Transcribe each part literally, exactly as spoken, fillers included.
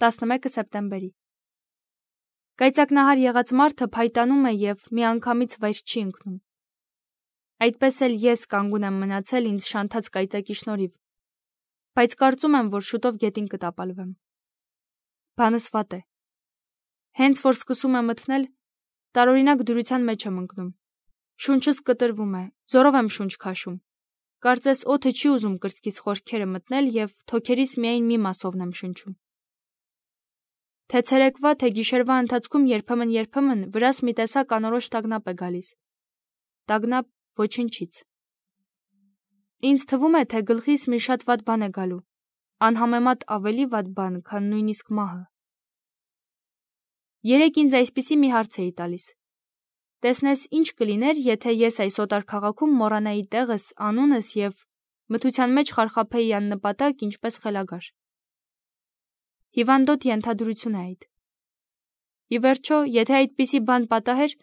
տասնմեկը սեպտեմբերի։ Կայծակնահար եղած մարդը փայտանում է և միանգամից վայր չի ընկնում։ Այդպես էլ ես կանգուն եմ մնացել ինձ շանթած կայծակի շնորհիվ, բայց կարծում եմ, որ շուտով գետին կտապալվեմ։ Բանս վատ է։ Հենց որ սկսում է մթնել, տարօրինակ դյուրության մեջ եմ ընկնում։ Շունչս կտրվում է, զորով եմ շունչ քաշում։ Կարծես օդը չի ուզում կրծքիս խորքերը մտնել և թոքերիս միայն մի մասովն եմ շնչում։ Թե ցերեկվա, թե գիշերվա ընթացքում երբեմն-երբեմն վրաս մի տեսակ անորոշ տագնապ է գալիս։ Տագնապ ոչնչից։ Ինձ թվում է, թե գլխիս մի շատ վատ բան է գալու, անհամեմատ ավելի վատ բան, քան նույնիսկ մահը։ Երեկ ինձ այսպիսի մի հարց էի տալիս. տեսնես ինչ կլիներ, եթե ես այս օտար քաղաքում մոռանայի տեղս, անունս և մթության մեջ խարխափեի աննպատակ, ինչպես խելագար։ Հիվանդոտ ենթադրություն է այդ։ Ի վերջո, եթե այդպիսի բան պատահեր,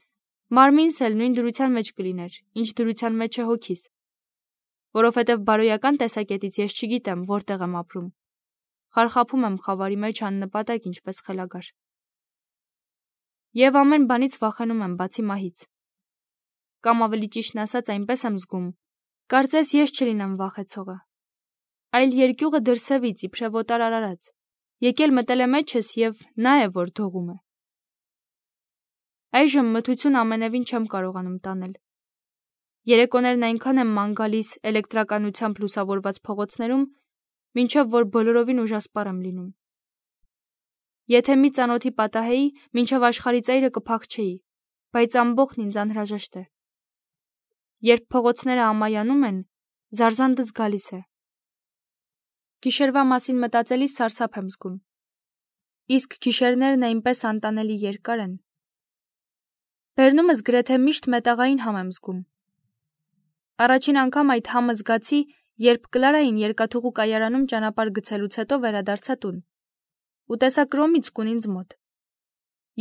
մարմինս էլ նույն դրության մեջ կլիներ, ինչ դրության մեջ է հոգիս, որովհետև բարոյական տեսակետից ես չգիտեմ, որտեղ եմ ապրում։ Խարխափում եմ խավարի մեջ աննպատակ, ինչպես խելագար։ Եվ ամեն բանից վախենում եմ, բացի մահից։ Կամ ավելի ճիշտն ասած, այնպես եմ զգում, կարծես ես չլինեմ վախեցողը, այլ երկյուղը դրսևից իբրև օտար արարած, եկել մտել է մեջս և նա է, որ դողում է։ Այժմ մթություն ամենևին չեմ կարողանում տանել։ Երեկոներն այնքան եմ ման գալիս էլեկտրականությամբ լուսավորված փողոցներում, մինչև որ բոլորովին ուժասպառ եմ լինում։ Եթե մի ծանոթի պատահեի, մինչև աշխարհի ծայրը կփախչեի, բայց ամբողջն ինձ անհրաժեշտ է։ Երբ փողոցները ամայանում են, զարզանդս գալիս է։ Գիշերվա մասին մտածելիս սարսափ եմ զգում։ Իսկ գիշերներն այնպես անտանելի երկար են։ Բերնումս գրեթե միշտ մետաղային համ եմ զգում։ Առաջին անգամ այդ համը զգացի, երբ Կլարային երկաթուղու կայարանում ճանապարհ գցելուց հետո վերադարձա տուն, ու տեսա կրոմից կուն ինձ մոտ։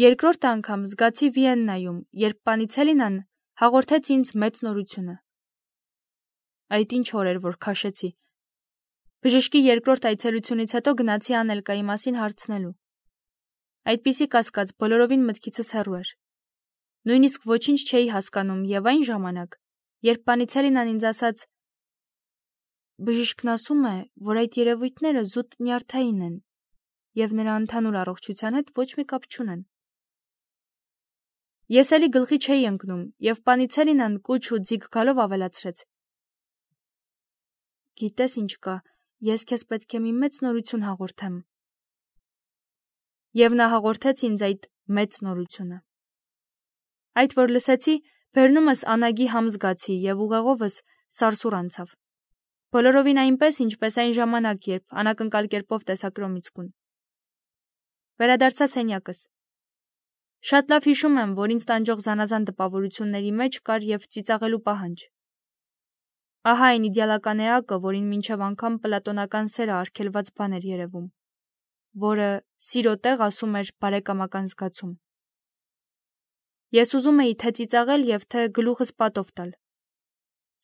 Երկրորդ անգամ զգացի Վիեննայում, երբ Պանիցելինան հաղորդեց ինձ մեծ նորությունը։ Այդ ինչ օր էր, որ քաշեցի։ Բժշկի երկրորդ այցելությունից հետո գնացի Անելկայի մասին հարցնելու։ Այդպիսի կասկած բոլորովին մտքիցս հեռու էր։ Նույնիսկ ոչինչ չէի հասկանում և այն ժամանակ, երբ Պանիցելինան ինձ ասաց. բժիշկն ասում է, որ այդ երևույթները զուտ նյարդային են և նրա ընդհանուր առողջության հետ ոչ մի կապ չունեն։ Ես էլի գլխի չէի ընկնում, և Պանիցելինան կուչ ու ձիգ գալով ավելացրեց. գիտես ինչ կա, ես քեզ պետք է մի մեծ նորություն հաղորդեմ։ Եվ նա հաղորդեց ինձ այդ մեծ նորությունը։ Այդ որ լսեցի, բերնումս անագի համ զգացի և ուղեղովս սարսուռ անցավ։ Բոլորովին այնպես, ինչպես այն ժամանակ, երբ անակնկալ կերպով տեսա կրոմից կուն։ Վերադարձա սենյակս։ Շատ լավ հիշում եմ, որ ինձ տանջող զանազան տպավորությունների մեջ կար և ծիծաղելու պահանջ։ Ահա այն իդեալական էակը, որին մինչև անգամ պլատոնական սերը արգելված բան էր երևում, որը սիրո տեղ ասում էր բարեկամական զգացում։ Ես ուզում էի թե ծիծաղել և թե գլուխս պատով տալ։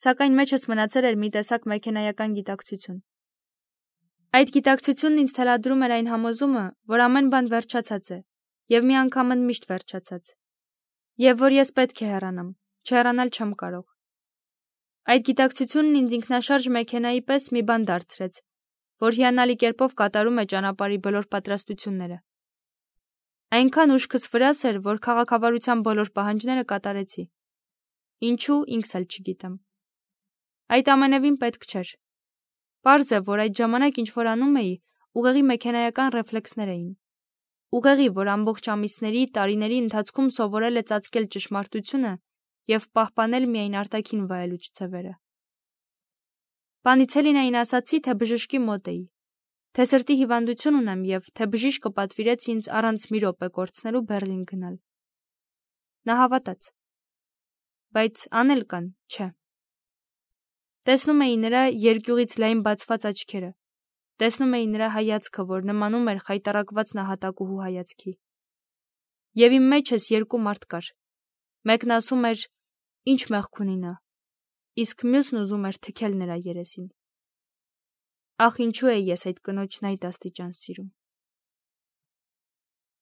Սակայն մեջս մնացել էր մի տեսակ մեքենայական գիտակցություն։ Այդ գիտակցությունն ինձ թելադրում էր այն համոզումը, որ ամեն բան վերջացած է, և մի անգամ ընդմիշտ վերջացած, և որ ես պետք է հեռանամ, չհեռանալ չեմ կարող։ Այդ գիտակցությունն ինձ ինքնաշարժ մեքենայի պես մի բան դարձրեց, որ հիանալի կերպով կատարում է ճանապարհի բոլոր պատրաստությունները։ Այնքան ուշքս վրաս էր, որ քաղաքավարության բոլոր պահանջները կատարեցի։ Ինչու, ինքս էլ չգիտեմ։ Այդ ամենևին պետք չէր։ Պարզ է, որ այդ ժամանակ ինչ որ անում էի, ուղեղի մեքենայական ռեֆլեքսներ էին։ Ուղեղի, որ ամբողջ ամիսների, տարիների ընթացքում սովորել է ծածկել ճշմարտությունը և պահպանել միայն արտաքին վայելուչ ցևերը։ Պանիցելինային ասացի, թե բժշկի մոտ էի, թե սրտի հիվանդություն ունեմ և թե բժիշկը պատվիրեց ինձ առանց մի րոպե կորցնելու Բեռլին գնալ։ Նա հավատաց։ Բայց Անելկան չէ։ Տեսնում էի նրա երկյուղից լայն բացված աչքերը, տեսնում էի նրա հայացքը, որ նմանում էր խայտառակված նահատակուհու հայացքի։ Եվ իմ մեջս երկու մարդ կար։ Մեկն ասում էր. ինչ մեղք ունի նա, իսկ մյուսն ուզում էր թքել նրա երեսին։ Ախ, ինչու էի ես այդ կնոջն այդ աստիճան սիրում։